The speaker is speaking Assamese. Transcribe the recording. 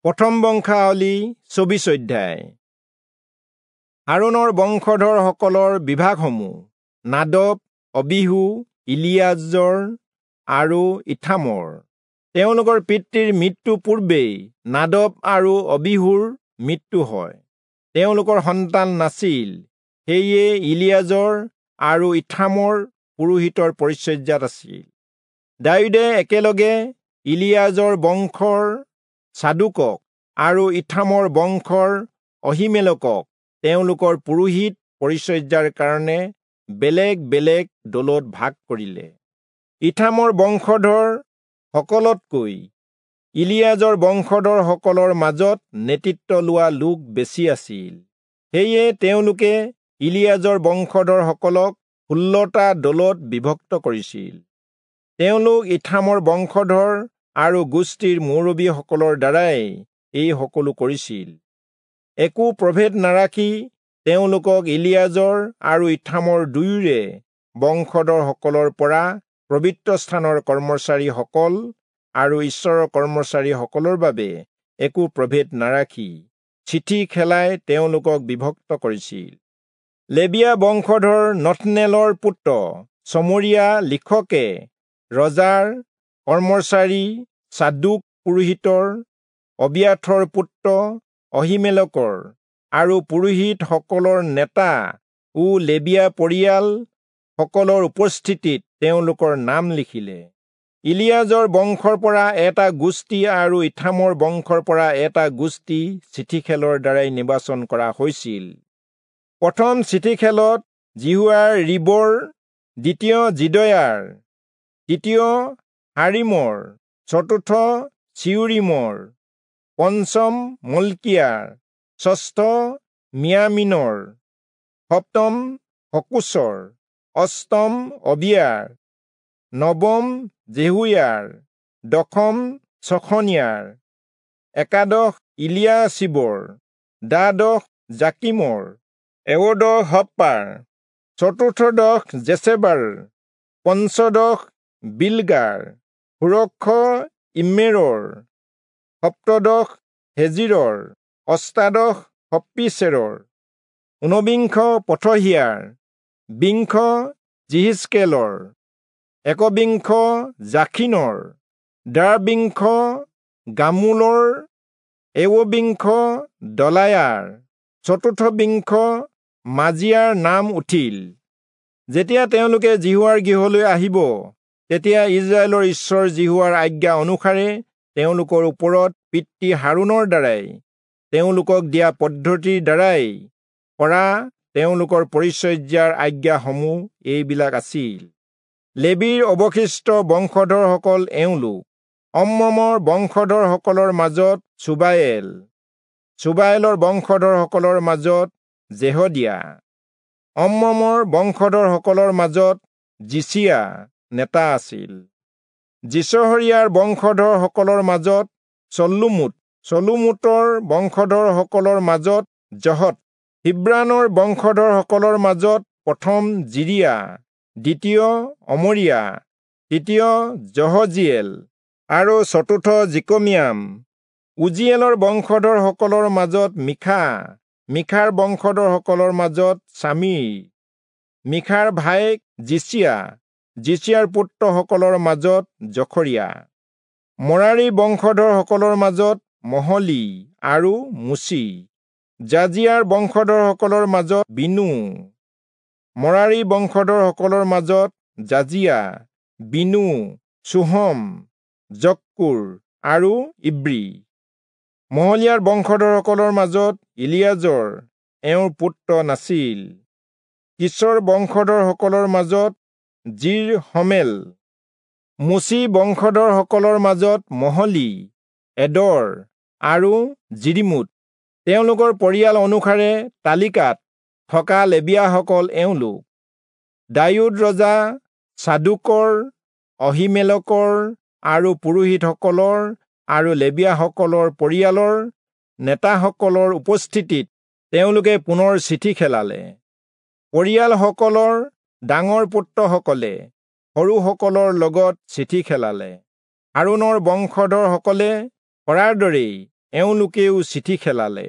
প্ৰথম বংশাৱলী 24 অধ্যায়। হাৰোণৰ বংশধৰসকলৰ বিভাগসমূহ নাদব, অবিহু, ইলিয়াজৰ আৰু ইথামৰ। তেওঁলোকৰ পিতৃৰ মৃত্যু পূৰ্বেই নাদব আৰু অবিহুৰ মৃত্যু হয়। তেওঁলোকৰ সন্তান নাছিল, সেয়ে ইলিয়াজৰ আৰু ইথামৰ পুৰোহিতৰ পৰিচৰ্যাত আছিল। দায়ূদে একেলগে ইলিয়াজৰ বংশৰ চাদোকক আৰু ইথামৰ বংশৰ অহীমেলকক তেওঁলোকৰ পুৰোহিত পৰিচৰ্যাৰ কাৰণে বেলেগ বেলেগ দলত ভাগ কৰিলে। ইথামৰ বংশধৰ সকলতকৈ ইলিয়াজৰ বংশধৰ সকলৰ মাজত নেতৃত্ব লোৱা লোক বেছি আছিল, সেয়ে তেওঁলোকে ইলিয়াজৰ বংশধৰ সকলক 16টা দলত বিভক্ত কৰিছিল। তেওঁলোক ইথামৰ বংশধৰ আৰু গোষ্ঠীৰ মুৰব্বীসকলৰ দ্বাৰাই এই সকলো কৰিছিল। একো প্ৰভেদ নাৰাখি তেওঁলোকক ইলিয়াজৰ আৰু ইথামৰ দুয়োৰে বংশধৰসকলৰ পৰা পবিত্ৰস্থানৰ কৰ্মচাৰীসকল আৰু ঈশ্বৰৰ কৰ্মচাৰীসকলৰ বাবে একো প্ৰভেদ নাৰাখি চিঠি খেলাই তেওঁলোকক বিভক্ত কৰিছিল। লেবীয়া বংশধৰ নথনেলৰ পুত্ৰ চমৰীয়া লিখকে ৰজাৰ কৰ্মচাৰী চাদোক পুৰোহিতৰ, অবিয়াথৰ পুত্ৰ অহীমেলকৰ আৰু পুৰোহিতসকলৰ নেতা ও লেবীয়া পৰিয়াল সকলৰ উপস্থিতিত তেওঁলোকৰ নাম লিখিলে। ইলিয়াজৰ বংশৰ পৰা এটা গোষ্ঠী আৰু ইথামৰ বংশৰ পৰা এটা গোষ্ঠী চিঠিখেলৰ দ্বাৰাই নিৰ্বাচন কৰা হৈছিল। প্ৰথম চিঠিখেলত যিহোয়াৰীবৰ, দ্বিতীয় যিদয়াৰ, তৃতীয় হাৰিমৰ, চতুৰ্থ চিউৰিমৰ, পঞ্চম মল্কিয়াৰ, ষষ্ঠ মিয়ামিনৰ, সপ্তম হকোচৰ, অষ্টম অবিয়াৰ, নৱম জেহুয়াৰ, দশম চখনিয়াৰ, একাদশ ইলিয়াশীবৰ, দ্বাদশ জাকিমৰ, এয়োদশ হপ্পাৰ, চতুৰ্দশ জেচেবাৰ, পঞ্চদশ বিলগাৰ, ষোড়শ ইম্মেৰৰ, সপ্তদশ হেজিৰৰ, অষ্টাদশ হপ্পীচেৰৰ, ঊনবিংশ পথহিয়াৰ, বিংশ যিহিষ্কেলৰ, একবিংশ জাখিনৰ, দ্বাবিংশ গামূলৰ, এৱবিংশ দলায়াৰ, চতুৰ্থবিংশ মাজিয়াৰ নাম উঠিল। যেতিয়া তেওঁলোকে যিহোৱাৰ গৃহলৈ আহিব, তেতিয়া ইস্ৰায়েলৰ ঈশ্বৰ যিহোৱাৰ আজ্ঞা অনুসাৰে তেওঁলোকৰ ওপৰত পিতৃ হাৰোণৰ দ্বাৰাই তেওঁলোকক দিয়া পদ্ধতিৰ দ্বাৰাই কৰা তেওঁলোকৰ পৰিচৰ্যাৰ আজ্ঞাসমূহ এইবিলাক আছিল। লেবীৰ অৱশিষ্ট বংশধৰসকল এওঁলোক: অম্ৰমৰ বংশধৰসকলৰ মাজত চুবায়েল, চুবায়েলৰ বংশধৰসকলৰ মাজত জেহদিয়া, অম্ৰমৰ বংশধৰসকলৰ মাজত যিচিয়া নেতা আছিল। যিচহৰীয়াৰ বংশধৰসকলৰ মাজত চল্লোমোত, চল্লোমোতৰ বংশধৰসকলৰ মাজত জহত, হিব্ৰানৰ বংশধৰসকলৰ মাজত প্ৰথম জিৰিয়া, দ্বিতীয় অমৰিয়া, তৃতীয় যহজিয়েল আৰু চতুৰ্থ জিকমিয়াম। উজিয়েলৰ বংশধৰসকলৰ মাজত মীখা, মীখাৰ বংশধৰসকলৰ মাজত চামীৰ, মীখাৰ ভায়েক যিচিয়া, যিচিয়াৰ পুত্ৰসকলৰ মাজত জখৰিয়া। মৰাৰী বংশধৰসকলৰ মাজত মহলী আৰু মুচি, যাজিয়াৰ বংশধৰসকলৰ মাজত বিনু, মৰাৰী বংশধৰসকলৰ মাজত যাজিয়া, বিনু, চোহম, জক্কুৰ আৰু ইব্ৰী। মহলীয়াৰ বংশধৰসকলৰ মাজত ইলিয়াজৰ, এওঁৰ পুত্ৰ নাছিল। কিচৰ বংশধৰসকলৰ মাজত যিৰহমেল, মুচি বংশধৰসকলৰ মাজত মহলী, এদৰ আৰু যিৰিমোত। তেওঁলোকৰ পৰিয়াল অনুসাৰে তালিকাত থকা লেবীয়াসকল এওঁলোক: দায়ূদ ৰজা চাদোকৰ, অহীমেলকৰ আৰু পুৰোহিতসকলৰ আৰু লেবীয়াসকলৰ পৰিয়ালৰ নেতাসকলৰ উপস্থিতিত তেওঁলোকে পুনৰ চিঠি খেলালে। পৰিয়ালসকলৰ ডাঙৰ পুত্ৰসকলে সৰুসকলৰ লগত চিঠি খেলালে। হাৰোণৰ বংশধৰসকলে কৰাৰ দৰেই এওঁলোকেও চিঠি খেলালে।